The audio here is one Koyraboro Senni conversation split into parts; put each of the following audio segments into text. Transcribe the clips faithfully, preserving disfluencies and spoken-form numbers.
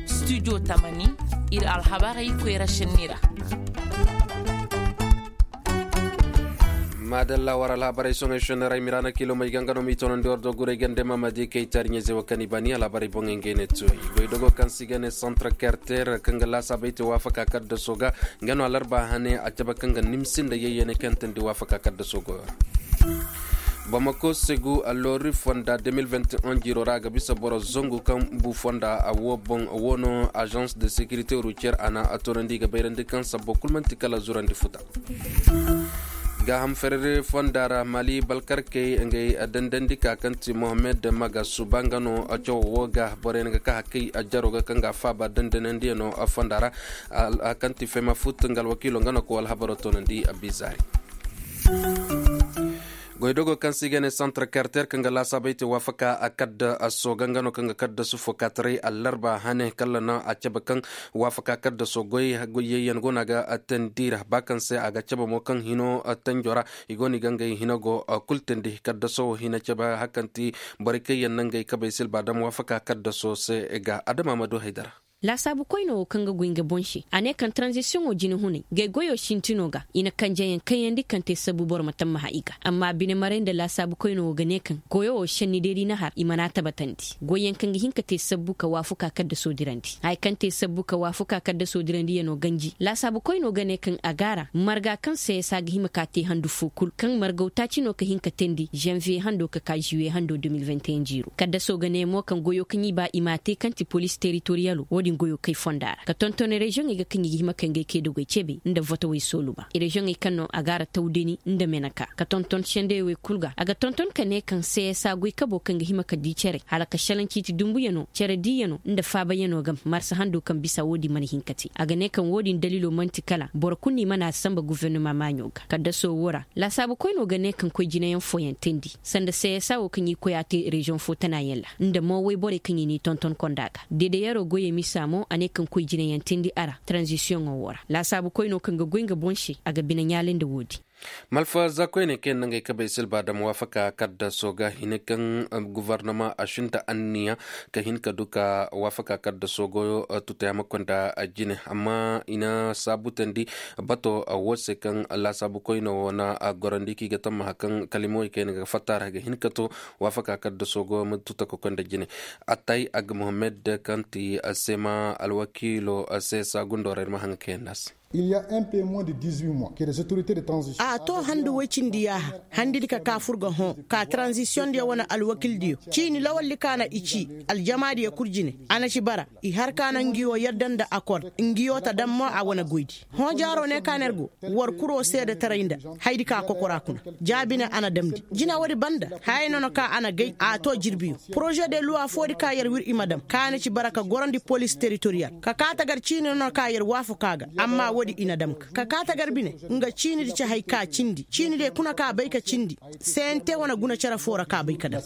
Studio tamani, ir alhabarey koyra šenni ra. Maadalla war alhabarey soŋey šenni ra i miraana kiilomey ga nga no m'i toonandi war doguray gande ma ma di kay taariɲey ze wo kaŋ i baani alhabarey boŋey ngey ne tuwey. Goy dogo kaŋ se i ga ne santre karter kaŋ ga laasaabey te waafaka kaddaso ga nga no alarba hane a cabe kaŋ ga nimsi nda yayyaney kaŋ teendi waafaka kaddaso goyo ra. Bamako segu alloori fonda deux mille vingt et un jiiro ra a ga bisa boro zangu kaŋ bu fonda a wo boŋ a wo no agence de sécurité routière a na a toonandi i ga bayrandi kaŋ sabbo kul man'ti kala zurandi futa. Gaaham ferere fonda ra mali balkarkey ngey dandandi ka kaŋ ti mohammed maga suba nga no cawo wo ga boroyaŋ ga ka hakkay jaro ga kaŋ ga a faaba dandanandiyano fonda ra. Kaŋ ti fema fut nga alwakiilo nga no ka wala habaro toonandi a bizaari. Goydogo kaŋ se i ga ne santar karter kaŋ ga laasaabey te waafaka a kadda a sooga nga no kaŋ ga kadda sufo kaataray allarba hane kala na a cabe kaŋ waafaka kadda soo goy yayyan go no a ga teendi ra ba kaŋ se a ga cabe mo kaŋ hino tenjo ra. I go no i ga ngey hino go kul teendi kadda soo hina cabe hari kaŋ ti borey kaŋ yaŋ na ngey kabey silba dam waafaka kadda soo se ga adama ma du haydara. Laasaabu koyne wo kaŋ ga goy nga boŋ se a ne kaŋ taranzisiyoŋo jinehuney gay goyo sintino ga i na kanjeyaŋ kayandi kaŋ te sabbu boro ma tammaha i ga amma bine maray nda laasaabu koyne wo ga ne kaŋ goyo wo senni day da i na har i mana tabatandi goyyaŋ kaŋ ga hin ka te sabbu ka waafuka kaddaso dirandi haya kaŋ te sabbu ka waafuka kaddaso dirandiyano ganji laasaabu koyne wo ga ne kaŋ a gaara marga kaŋ se ya sa ga hima ka te handu fo kul kaŋ margaw taaci no ka hin ka teendi zanviye hando ka ka ziwiye hando deux mille vingt et un jiiro kaddaso ga ne mo kaŋ goyo kaŋ i ba i m'a te kaŋ ti poliisi teritoriyalo wo-din goyo kay fonda ra ka tonton reziyoŋey ga kaŋ i ga hima kay ngey kay dogey cebe nda votowey sooluba reziyoŋey kaŋ no a ga a ra tawdani nda meneka ka tonton sendeyowey kul ga a ga tonton ka ne kaŋ seesa goy kabo kaŋ ga hima ka di cere hala ka šelaŋ ciiti dumbuyano cere diiyano nda faabayano ga marsa hando kaŋ bisa wo-din mana hin ka te a ga ne kaŋ wo-din daliilo man'ti kala boro kul no i mana a samba gofornoma maaɲo ga kaddaso wo ra laasaabu koyno ga ne kaŋ koy jinayaŋ fooyaŋ teendi sanda seesa wo kaŋ i koy a te reziyoŋ fo tanayaŋ ra nda mo woy borey kaŋ i n'i tonton konda ga dedeyaro goyey misa mo a ne kaŋ koy jinayaŋ teendi a ra taranzisiyoŋo wo ra laasaabu koyno kaŋ ga goy nga boŋ se a ga bine ɲaale nda wo-din. Malfa za koyney kaŋ yaŋ na ngey kabey silba dam waafaka kaddaso ga hine kaŋ gofornoma a sinda anniya ka hin ka du ka waafaka kaddaso goyo tutaya ma konda jine amma i na saabu teendi bato wo se kaŋ laasaabu koyne wo na gorandi kaŋ i ga tammaha kaŋ kalimawey kaŋ yaŋ ga fatta ra ga hin ka to waafaka kaddaso goyo ma tuta ka konda jine. Attay ag mohammed kaŋ ti sema alwakiilo se saagundo ra ir ma haŋa kaŋ yaŋ naasi. A to handu woy cindi yaaha handidi ka ka fur ga hõ ka taranzisiyoŋ diyo wane alwakil diyo ciini lawaldi ka na i ci aljamaadiyo kul jine a na ci bara i har ka na ngiyo yadda nda akord ngiyo ta dam mo a wane goydi hõ jaaro ne ka na ir go war kuro seedetaray nda haydi ka kokora kuna jaabi ne a na damndi jina woodi banda hayay no na ka a na gay a to jirbiyo poroze de luwa foodi ka yer wir i ma dam ka na ci bara ka gorandi polis teritoriyal ka ka tagar ciini no na ka yer waafakaa ga amma woodi i na dam ka ka ka tagar bine nga ciinidi ci hay ka cindi ciinidey kuna ka bay ka cindi sente wane guna cere foo ra ka bay ka dam.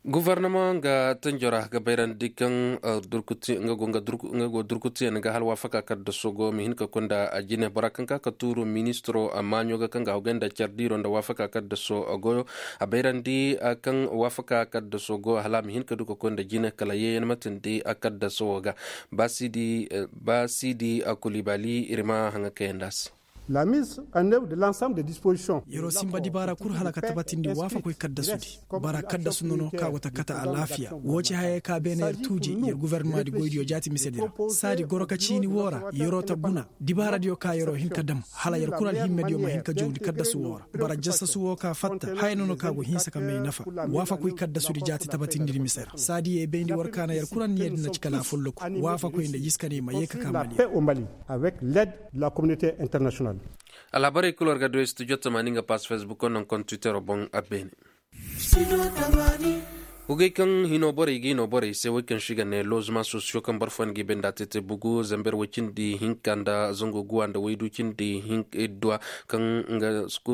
Gofornama nga tanjo ra ga bayrandi kaŋ nga go durkutuyaŋ ga hal waafaka kaddaso goyo ma hin ka koy nda jine bora kaŋ ka ka tuuru ministiro maaɲo ga kaŋ ga hawgay nda care diiro nda waafaka kaddaso goyo a bayrandi kaŋ waafaka kaddaso goyo hala a ma hin ka du ka koy nda jine kala yeeyan ma tindi kaddaso wo ga. Ba siidi kulibali ir ma haŋa kayandi a se. Yer'o sinba dibaara kul hala ka tabatindi waafakoy kaddasudi. Bara kaddasu nono ka go ta kate alaafiya woo ci hayey ka beene yer tuuji yer gofornamaadi goydiyo jaati misedi ra. Saadi goro ka ciini woo ra yer'o ta guna dibaaradiyo ka yer'o hin ka dam hala yer kul alhimmediyo ma hin ka jowndi kaddasu woo ra. Bara jasasu woo ka fatta haya nono ka go hinsa ka may nafa. Waafakoy kaddasudi jaati tabatindidi mise ra saadi ye bayndi war ka na yer kul anniyadi na ci kala afolloku. Waafakoy nda jiskaney ma yee ka ka mali. Avec l'aide de la communauté internationale. Alhabarey kul war ga du studio tamaani nga pass facebook wo naŋ koŋ twittero boŋ a beene. Hugey kaŋ hino borey ga hino borey se wey kaŋ se i ga ne lozema sosiyo kaŋ boro fooyaŋ ga i bay nda a te te bugu zamber way cindi hinka nda zango guwa nda waydu cindi hinka idduwa kaŋ nga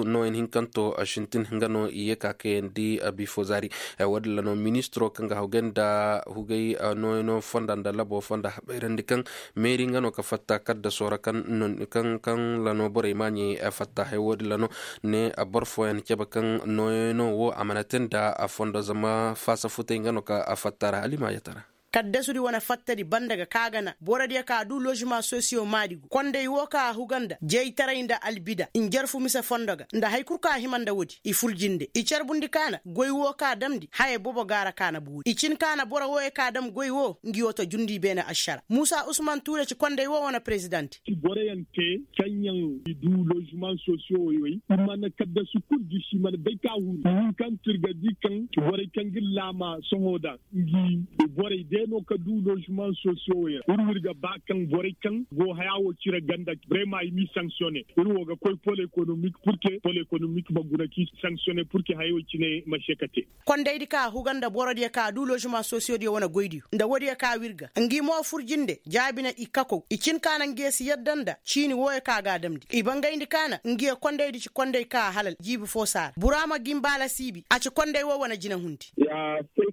nooyaŋ hinkanto a sintin nga no i ye ka kayandi a bifo zaari. Haya wo- din ra no ministiro kaŋ ga hawgay nda hugey nooyaŋo fonda nda labo fonda habayrandi kaŋ meeri nga no ka fatta kaddaso ra kaŋ ra no borey maaɲey fatta haya wo- din ra no ne boro fooyaŋ cabe kaŋ nooyaŋo wo a mana te nda a fondo zama faasa futey nga no ka a fatta ra halimaayata ra. Kaddasudi wane fattadi banda ga ka gana borodiyo ka du lozema sosiyo maadi go konday wo ka a huga nda jaytaray nda albida njarfu mise fondo ga nda hari kul ka hima nda woodi i fur jinde i carbundi ka na goy wo ka damndi haya boobo ga ra ka na boori i cin ka na boro wooyo ka dam goy wo ngi wo ta jundi beene ašara muusa usman tuure ci konday wo wane perezidanti. Boroyaŋ te kaŋyaŋ i du loziman sosiyo woy woy i mana kaddasu kul gisi i mana bay ka huru i hin kaŋ tirgadi kaŋ borey kaŋ ga laama sohõ daŋ ngi borey day no ka du loziman sosiyo woy ra ir wo ir ga ba kaŋ borey kaŋ go haya wo cire ganda brema i m'i sanksiyone ir wo ga koy pol ekonomik purke pol ekonomik ma guna k'i sanksiyone purke haya wo cine ma se ka te. Kondaydi ka huga nda borodiyo ka du loziman sosiyodiyo wane goydiyo nda woodiyo ka wirga ngi mo fur jinde jaabina i kakow i cin ka na ngiyo si yadda nda ciini wooyo ka ga a damndi i bangayndi ka na ngiyo kondaydi ci konday ka halal jiibi fo saara buraama gimbaala siibi a ci konday woo wane jinahundi.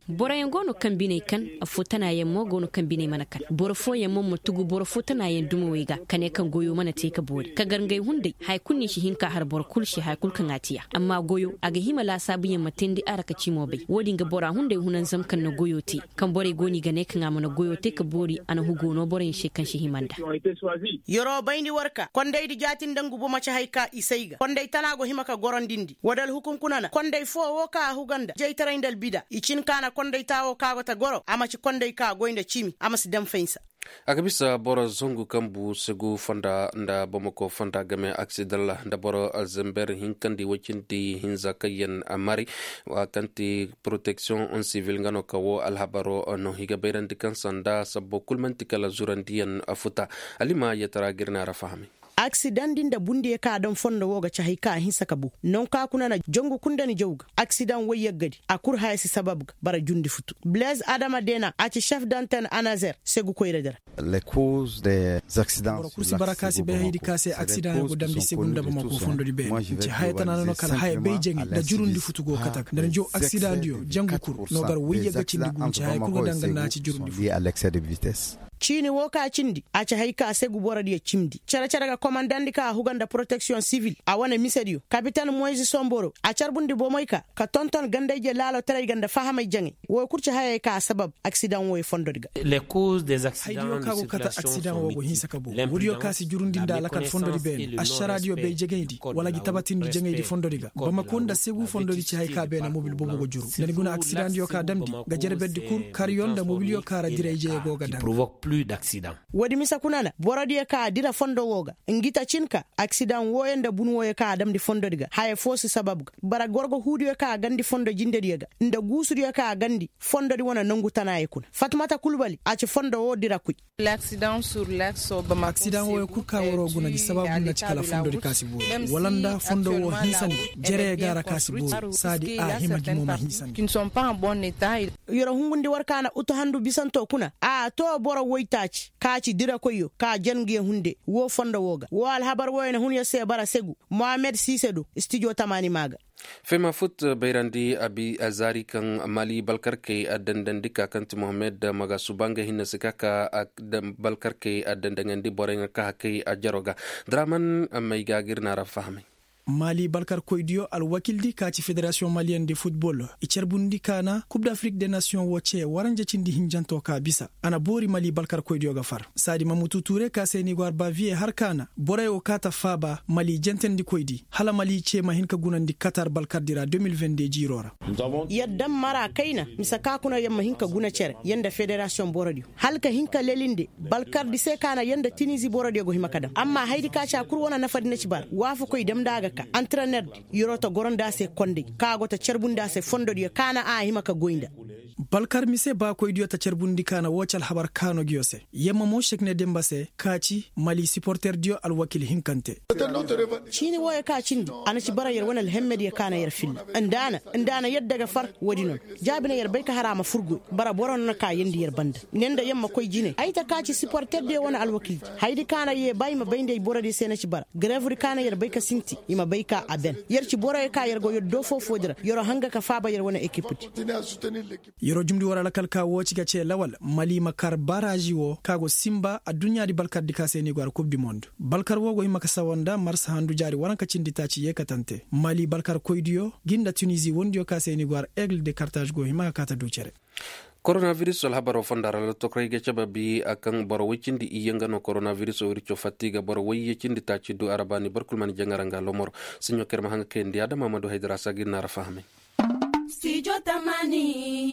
Boroyaŋ go no kaŋ biney kan affoo tanaayaŋ mo go no kaŋ biney mana kan boro fooyaŋ mo ma tugu boro foo tanaayaŋ dumawey ga ka ne kaŋ goyo mana te ka boori ka gar ngey hunday haya kul no i si hin ka har boro kul se haya kul kaŋ a tiya amma goyo a ga hima laasaabuyaŋ ma teendi a ra ka cimo bay wo-din ga bora hunday hunanzam kaŋ na goyo te kaŋ borey go no i ga ne kaŋ a mana goyo te ka boori a na hugo no boroyaŋ se kaŋ si hima nda. Yeroo bayndi war ka kondaydi jaati nda ngu bomo ci hay ka i say ga konday tana go hima ka gorondindi woo da alhukum kuna na konday foo woo ka a huga nda jaytaray nda albida i cin ka na konday taa woo ka go ta goro a ma ci konday ka goy nda cimi a ma si daŋ faynsa. A ga bisa boro zangu kaŋ bu segu fonda nda bamako fonda game aksidan ra nda boro zamber hinkandi woy cindi hinza kaŋ yaŋ mari wa kaŋ ti poroteksiyoŋ sivil nga no ka woo alhabaro no i ga bayrandi kaŋ sanda sabbo kul man'ti kala zurandiyaŋ futa. Alima yetara ga ir na ra fahamay. Aksidaŋ din nda bundiyo kaŋ a daŋ fondo woo ga ci hay kaŋ a hinsa ka bu nangu kaŋ a kuna na jangu kul nda ni jaw ga aksidaŋ woy yaggadi a kul haya si sabab ga bara jundi futu. Blaise adama dena a ci chef d'antenne anazer segu koyradi ra. Boro kul si bara ka si bay haydi ka se aksidaŋo go damndi segu nda bamako fondodi beene nci haya tana no kala haya bay jaŋay nda jurundi futu go kate ga nda ni jaw aksidaŋdiyo jangu kul no gar woy yagga cindi gu nci haya kul ga daŋ ga nda a ci jurundi futu. Ciini woo ka cindi a ci hay ka segu borodiyo cimndi cere-cere ga komandandi ka a huga nda poroteksiyoŋ sivil a wane misediyo kapitan moyzi somboro a carbundi bomey ka ka tonton gandayje laalotaray ga nda fahamay jaŋay woo kul ci hayey ka a sabab aksidaŋ wooyo fondodi ga. Haydiyo ka go kate aksidaŋ woo go hinsa ka boo woodiyo ka si jurundi nda alakal fondodi beene ašaraadiyo bay jegayndi wala gi tabatindi jaŋaydi fondodi ga bamako nda segu fondodi ci hay ka beene mobil boobo go juru nda ni guna aksidaŋdiyo ka damndi ga jerberdi kul karyo nda mobilyo ka ra diray jeye go ga daŋ. Woodi mise kuna na borodiyo ka a dira fondo woo ga ngi ta cin ka aksidaŋ wooyo nda bun wooyo ka a damndi fondodi ga haya foo si sabab ga bara gorgo huudiyo ka a gandi fondo jindediyo ga nda guusudiyo ka a gandi fondodi wane nangu tanaayo kuna fatumata kulbali a ci fondo woo dirakoy. Aksidaŋ wooyo kul ka waroo guna gi sabaabu nda ci kala fondodi ka si boori wala nda fondo woo hinsandi jereyo ga a ra ka si boori saadi a hima gi mo ma hinsandi. Yeroo hungundi war ka na utuhandu bisanto kuna a too boro woytaaci ka ci dirakoyyo ka jen ngiyo hunde woo fondo woo ga woo alhabar wooyo na hun yer se bara segu mohammed siise do stijo tamaani maa ga. Fema fut bayrandi abi a zaari kaŋ mali balkarkey a dandandi ka kaŋ ti mohammed magasuba nga hinne si ka ka balkarkey a dandaŋandi borey nga ka hakey a jaro ga. Draman may ga ga ir na ra fahamay. Mali balkarkoydiyo alwakildi ka ci federasiyoŋ maliyen de futbol i carbundi ka na kub dafrik de nasiyoŋ wo ce waranja cindi hinjanto ka bisa a na boori mali balkarkoydiyo ga far saadi mamutu ture ka se ni go arbaviye har ka na borey wo ka ta faaba mali jentendikoydi hala mali ce ma hin ka gunandi katar balkardi ra deux mille vingt deux jiiro ra. Yadda mara kayna mise ka kuna yer ma hin ka guna cere yer nda federasiyoŋ borodiyo hala ka hin ka lelinde balkardi se ka na yer nda tinizi borodiyo go hima ka daŋ amma hayadi ka ci a kul wane nafadi na ci bara waafakoy damndi a ga ka antrenerdi yeroo ta gorondi a se kondey kaŋ a go ta carbundi a se fondodiyo ka na a hima ka goy nda. Balkar mise baakoydiyo ta carbundi kaana woo ci alhabar kaanoogiyo se. Yamma mo šek ne demba se ka ci mali siporterdiyo alwakil hinkante. Ciini wooyo ka cindi a na ci bara yer wane alhemmediyo ka na yer filla. Nda a na nda a na yadda ga far. Woodi no na jaabi na yer bay ka har a ma fur goy. Bara boro no na ka yeendi yer banda. Ne nda yamma koy jine ay ta ka ci siporterdiyo wane alwakildi. Hayadi ka na yee ba i ma bay nda ay borodiyo se na ci bara. Garevudi ka na yer bay ka sinti i ma bay ka a ben. Yer ci boroyo ka yer go yer doo foo-foodi ra yeroo hanga ka faaba yer wane ekipdi. Yeroo jumndi war alkal ka woo ci ga cee lawal mali ma kar baraaži woo ka go sinba adduɲɲaadi balkardi ka se ni go har kub di mond. Balkar woo go hima ka sawa nda marsa handu jaari waranka cindi taaci yeekatante mali balkarkoydiyo gi nda tunizi wondiyo ka se ni go har egle de kartaaž go hima ka kaata du cere. Koronabiris alhabaroo fonda ra lottokoray ga cabe bi a kaŋ boro woy cindi iyye nga no koronabirisoo wirco fatta i ga boro woy iyye cindi taaci du arabaani boro kul mana jaŋ ara nga lomoro. Siɲo kaŋ ir ma haŋ ga kayandi adama ma du haydara saagir na ara fahamay.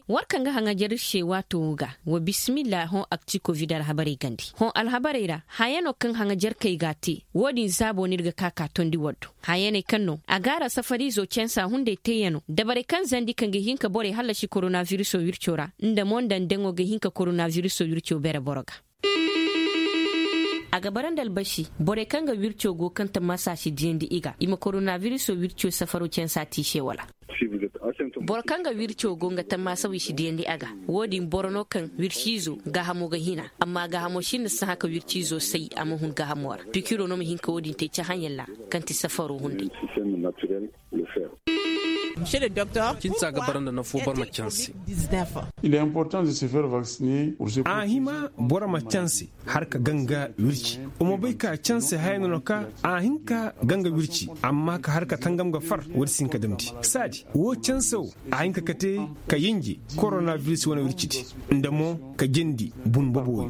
War kaŋ ga haŋajer ir se waato woo ga wa bisimilla hõ akti kovid alhabarey gandi hõ alhabarey ra. Hayano kaŋ haŋajer kay ga a te woo din zaabo no ir ga ka ka tondi war do. Hayaney kaŋ no a gaara safariizo cansa hunday teeyano dabarey kaŋ zandi kaŋ ga hin ka borey hallasi koronabirisoo wirco ra. Nda mo nda ndeŋo ga hin ka koronabirisoo wirco bere boro ga. A ga bara nda albasi borey kaŋ ga wirco go kaŋ tammaasa si diyandi i ga i ma koronabirisoo wirco safaro cansa te i se wala? Boro kaŋ ga wirco go nga tammaasa wi si diyandi a ga. Woo din boro no kaŋ wirciizo gaahamo ga hina amma gaahamo sinda sahã ka wirciizo say a ma hun gaahamo ra. Pikiroo no ma hin ka woo din te cahãyaŋ ra kaŋ ti safaro hunday. Cinsa ga bara nda nafo boro ma canse. A hima boro ma canse har ka ganga wirci. Wa ma bay ka canse haya no no ka a hin ka ganga wirci amma ka har ka tangam ga far woodi si hin ka damndi saadi woo canse woo a hin ka kate ka yinji koronabiris wane wircidi nda mo ka jindi bunbobo.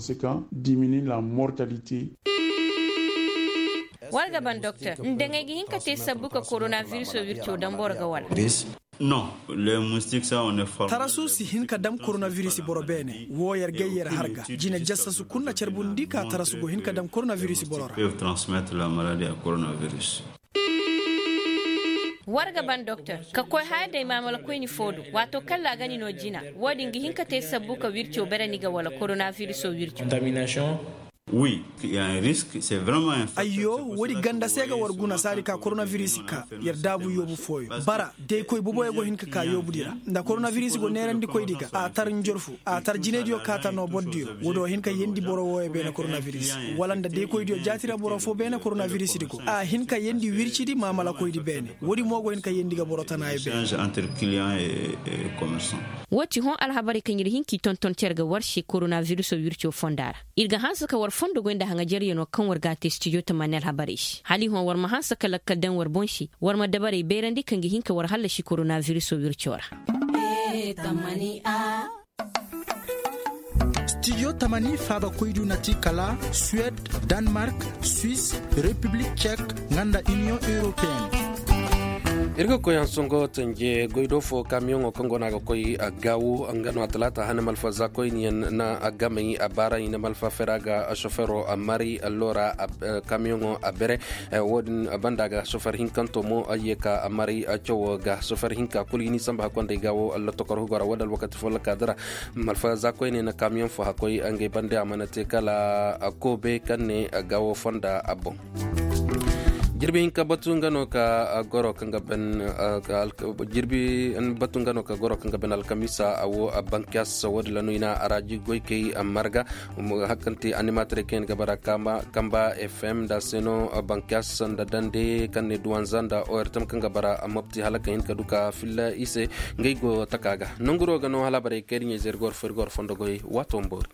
War ga ban doktor nda ngay ga hin ka te sabbu ka koronabirisoo wirco dam boro ga wala? Tarasu si hin ka dam koronabiris boro beene woo yer gay yer har ga jine jassasu kul na carbundi ka tarasu go hin ka dam koronabiris boro ra. War ga ban doktor ka koy haya day maamala koyni foo do waato kaŋ ra a ga ni no jina. Woo din ga hin ka te sabbu ka wirco bere ni ga wala koronabirisoo wirco? Ayyo, woodi ganda se ga war guna saadi ka koronabiris ka yer daabu yoobu fooyo bara day koy boboyo go hin ka ka yoobudi ra. Nda koronabiris go neerandikoydi ga a tar njorfu a tar jinaydiyo kaata noo bordiyo. Woodi wo hin ka yeendi boro wooyo beene koronabiris wala nda day koydiyo jaati ra boro foo beene koronabirisdi go a hin ka yeendi wircidi maamalakoydi beene. Woodi mo go hin ka yeendi ga boro tanaayo beene. Woo ti hõ alhabarey kaŋ ir hin k'i tonton cere ga war se koronabirisoo wirco fonda ra. Ir ga hanse ka war fondo goy nda haŋajeryanoo kaŋ war g'a te stijo tamaani alhabarey se hala i hõ war ma hanse ka lakkal daŋ war boŋ se. War ma dabarey beerandi kaŋ ga hin ka war hallasi koronabirisoo wirco ra. Stijo tamaani faabakoydiyo na ti kala suwed, danmark, swis, repiblik cek, nga nda iniyoŋ europeyenne. Ir ga koy hansango tanje goy do fo kamiyoŋo kaŋ go no a ga koy gaawo nga no a talaata hane malfa za koyniyaŋ na a gamay a baara i na malfa fera ga sofero a mari alloora. Kamiyoŋo a bere. Wo- din banda ga sofer hinkanto mo a ye ka a mari cawo ga sofer hinka kulu i n'i samba hakkoy nda ay gaawo allotokor hugo ra wo- din alwakati fo lakkaadi ra. Malfa za koyne na kamiyoŋ fo hakkoy ngey bande a mana te kala koobe kaŋ ne gaawo fonda a boŋ. Jirbi hinka batu nga no ka goro kaŋ ga ben jirbi batu nga no ka goro kaŋ ga ben alkamiisa a wo bankiyas wo- din la no i na a ra jirgoy kay marga. Hakkanti animatorey kaŋ yaŋ ga bara kamba fm nda a se no bankiyas nda dande kaŋ ne duwanza nda ortam kaŋ ga bara mopti hala ka hin ka du ka filla i se. Ngey go taka ga nanguro ga no hala barey kay da ɲayzey ir go war fo ir go war fondo goy waato ma boori.